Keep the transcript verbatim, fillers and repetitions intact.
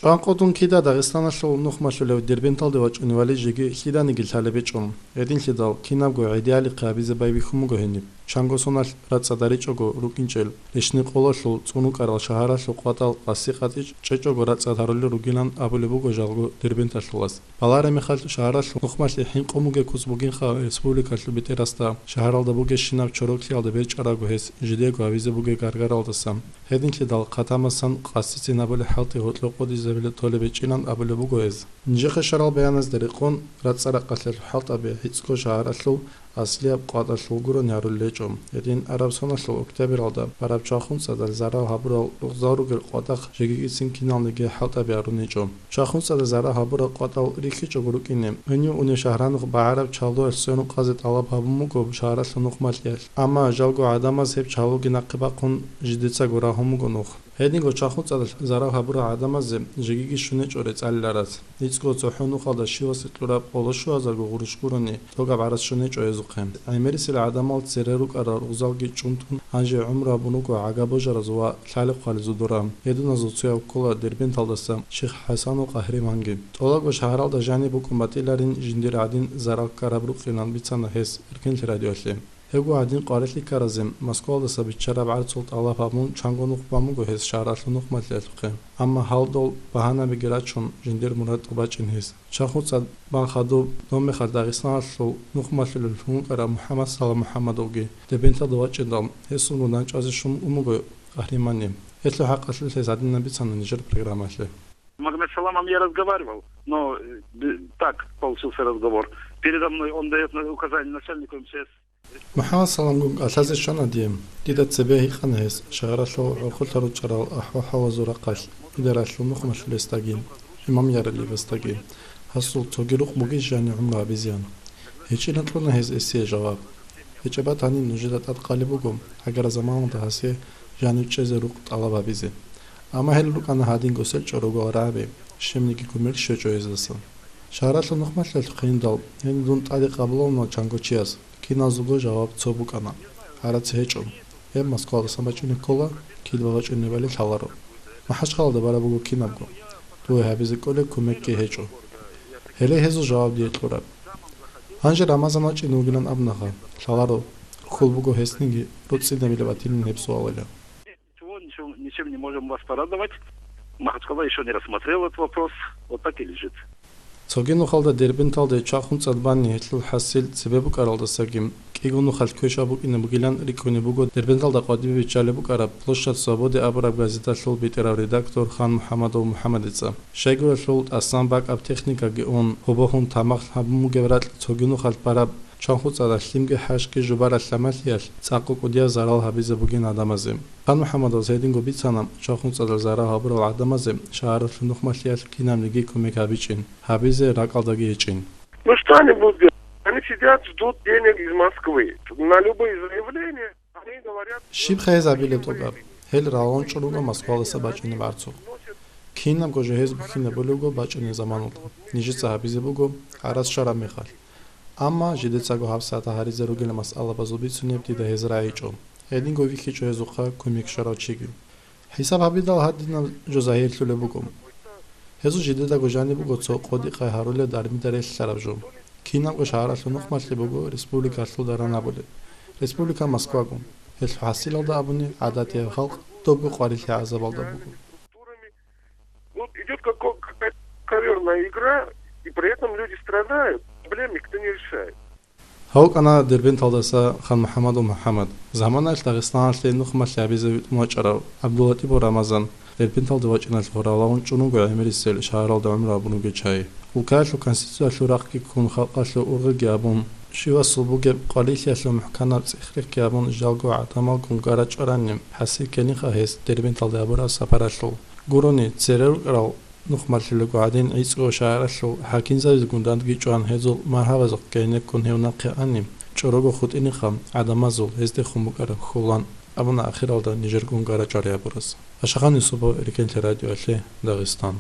ЧӀван къотӀун кида Дагъистаналъул нухмалъулев Дербенталде вачӀунев Али жеги лъиданиги лъалеб гьечӀо. Гьединлъидал кинабго гӀедиалихъе гьабизе байбихьун буго гьениб. Чанго соналъ рацӀцӀад ричӀого рукӀинчӀел, рещтӀинкъолалъул цӀунукӀарал шагьаралъул къватӀал къаси-къатӀи чӀечӀого рацӀцӀад гьарулел ругилан абулеб буго жалго дербенталъулас. Балагьараб мехалъ, шагьаралъул нухмалъе хӀинкъун бугеб куц бугинха республикалъул бетӀерасда, шагьаралда бугебщинаб чороклъиялда берчӀарабго гьес жидего гьабизе бугеб гаргаралдаса. Гьединлъидал хъатамасан къасицин гьабулеб хӀалтӀи гьоркьоб къодизабилеб толеб гьечӀилан абулеб буго гьез. Нижехъе щварал баяназда рекъон, рацӀцӀа-ракъалъиялъул хӀалтӀаби гӀицӀго шагьаралъул аслияб къватӀалъул гурони гьарулел гьечӀо. Гьедин араб соналъул октябралда бараб чвахун цӀадал зарал гьабурал рукъзал ругел къватӀахъ жегигицин киналниги хӀалтӀаби гьарун гьечӀо. Чвахун цӀадал зарал гьабурал къватӀал рихьичӀого рукӀине, гьенив унев шагьаралъухъ багӀараб чалуялъ сверун къазе тӀалаб гьабун буго шагьаралъул нухмалъиялъ. Амма жалго гӀадамаз гьеб чалуги нахъе бахъун жидецаго рагьун буго нух. Гьединго чвахун цӀадал зарал гьабурал гӀадамазе жегиги щун гьечӀо рецӀалиларац. ГӀицӀго цохӀо нухалда щивасе кьураб къоло щуазарго гъурущ гурони тӀогаб гӀарац щун гьечӀо гьезухъе. ГӀемерисел гӀадамал цере рукӀарал рукъзалги чӀунтун, гьанже гӀумру гьабун руго гӀага божараз ва лъалеб-хъвалеб зодорал. Гьединазул цояв ккола Дербенталдаса Ших ХӀасанов Къагьриманги. ТӀолабго шагьаралда жаниб букӀун батӀиларин жиндир гӀадин зарал ккараб рукъилан бицана гьес Эркенлъи радиоялъе. Гьебго гӀадин къварилъи ккаразе Москвалдаса биччараб гӀарцул тӀалаб гьабун чанго нух бан буго гьес шагьаралъул нухмалъиялъухъе. Амма гьалдал багьанабиги рачун, жиндир мурад тӀубачӀин гьес. Чвахун цӀад бан хадуб доб мехалъ Дагъистаналъул нухмалъулев вукӀарав МухӀаммад Салам МухӀаммадовги Дербенталда вачӀиндал, гьесул мунагьал чӀвазе щун ун буго Къагьриманни. Гьелъул хӀакъалъулъ гьес гьадинаб бицана нижер программалъе. Магомед Саламом я разговаривал, но, э, б-, так получился разговор. Передо мной он даёт на-, указания начальнику МЧС. МухӀаммад Саламгун кӀалъазе щвана дие. Дида цебе гьикъана гьес шагьаралъул гӀурхъулъа ручӀарал ахӀвал-хӀалазул рахъалъ, Идаралъул нухмалъулесдаги, имам Яралиевасдаги, гьасул цоги рукъ бугищ жанив гӀумру гьабизеян. ГьечӀилан кьуна гьез гьесие жаваб. ГьечӀеб батани, нужеда тӀад къалеб буго, гӀагар заманалда гьасе жанив чӀезе рукъ тӀалаб гьабизе. Амма гьел рукӀана гьадинго сел чӀорогол рагӀаби, щибниги кумек щвечӀо гьездаса. Шагьаралъул нухмалъиялъухъе индал, гьениб дун тӀаде къабулавуна чанго чияс, киназулго жаваб цо букӀана: гӀарац гьечӀо. Гьеб Москвалдасан бачӀине ккола, кидба бачӀунебали лъаларо. МахӀачхъалада бараб буго кинабго. Дуе гьабизе кӀолеб кумекги гьечӀо. Гьеле гьезул жаваб дие кьураб. Гьанже Рамазан вачӀине вугилан абунаха, лъаларо, хьул буго гьесниги, руцӀцӀидабилеб батилин гьеб суалила. Ничего, ничего, ничем не можем вас порадовать. Махачкала ещё не рассмотрел этот вопрос. Вот так и лежит. Цоги нухалда Дербенталде чвахун цӀад бани гьелъул хӀасил цебе букӀаралдасаги, кӀиго нухалъ квешаб букӀине бугилан рикӀкӀунеб буго Дербенталда къватӀибе биччалеб букӀараб Площадь Свободы абураб газеталъул бетӀерав редактор Хан МухӀамадов МухӀамадица. Щайгурелъул тӀасан бакӀаб техникаги ун, гьобохун тамахлъ гьабун бугеб ракь цоги нухалъ бараб чвахун цӀадалъ лъимги хӀашги жубараб лъамалъиялъ цӀакъго кӀудияб зарал гьабизе бугин гӀадамазе. Хан МухӀамадовас гьединго бицана, чвахун цӀадал зарал гьабурал гӀадамазе шагьаралъул нухмалъиялъ кинабниги кумек гьабичӀин, гьабизе ракӀалдаги гьечӀин. Ну что они будут делать? Они сидят, ждут денег из Москвы. На любые заявления они говорят... Щиб хъайзабилеб тӀокӀаб? Гьел ралъун чӀун руго Москвалдаса бачӀунеб гӀарцухъ. Кинабго жо гьез бухьинабулебго бачӀунеб заманалда. Нижеца гьабизе буго гӀарац щвараб мехалъ. Амма жидецаго гьабсагӀат гьаризе ругел масъалабазул бицунеб дида гьез рагӀичӀо. Гьединго вихьичӀо гьезухъа кумек щварав чиги. ХӀисаб гьабидал, гьадинаб жо загьирлъулеб буго. Гьезул жидедаго жаниб буго цо къодикъай гьарулеб дармида релълъараб жо. Кинабго шагьаралъул нухмалъи буго республикалъул даран абулеб. Республика Москваго. Гьелъул хӀасилалда абуни, гӀадатияб халкъ добго къварилъи-гӀазабалда буго. Вот идёт како-, какая-то коверная игра, и при этом люди страдают, проблем никто не решает. Гьав вукӀана Дербенталдаса Хан МухӀамадов МухӀамад. Заманаялъ Дагъистаналъе нухмалъи гьабизе витӀун вачӀарав ГӀабдуллатӀипов Рамазан Дербенталде вачӀиналъухъ ралъун чӀун вуго гӀемерисел шагьаралда гӀумру гьабун ругел чагӀи. Улкаялъул конституциялъул рахъги ккун, халкъалъул ургъиги гьабун, щивасул бугеб къварилъиялъул мухӀканаб цӀех-рехги гьабун, жалго гӀадамалгун гара чӀваранин, хӀасил ккелинха гьес Дербенталде гьабураб сапаралъул. Гурони, цере рукӀарал нухмалъулаго гӀадин, гӀицӀго шагьаралъул хӀакимзабизегун рандги чӀван, гьезул маргьабазухъ гьенеккун гьев нахъе ани, чӀорого хутӀинеха гӀадамазул гьездехун букӀараб хьулан, абуна ахиралда нижергун гара чӀвари гьабурас. Ашахан Юсупов, Эркенлъи радиоялъе, Дагъистан.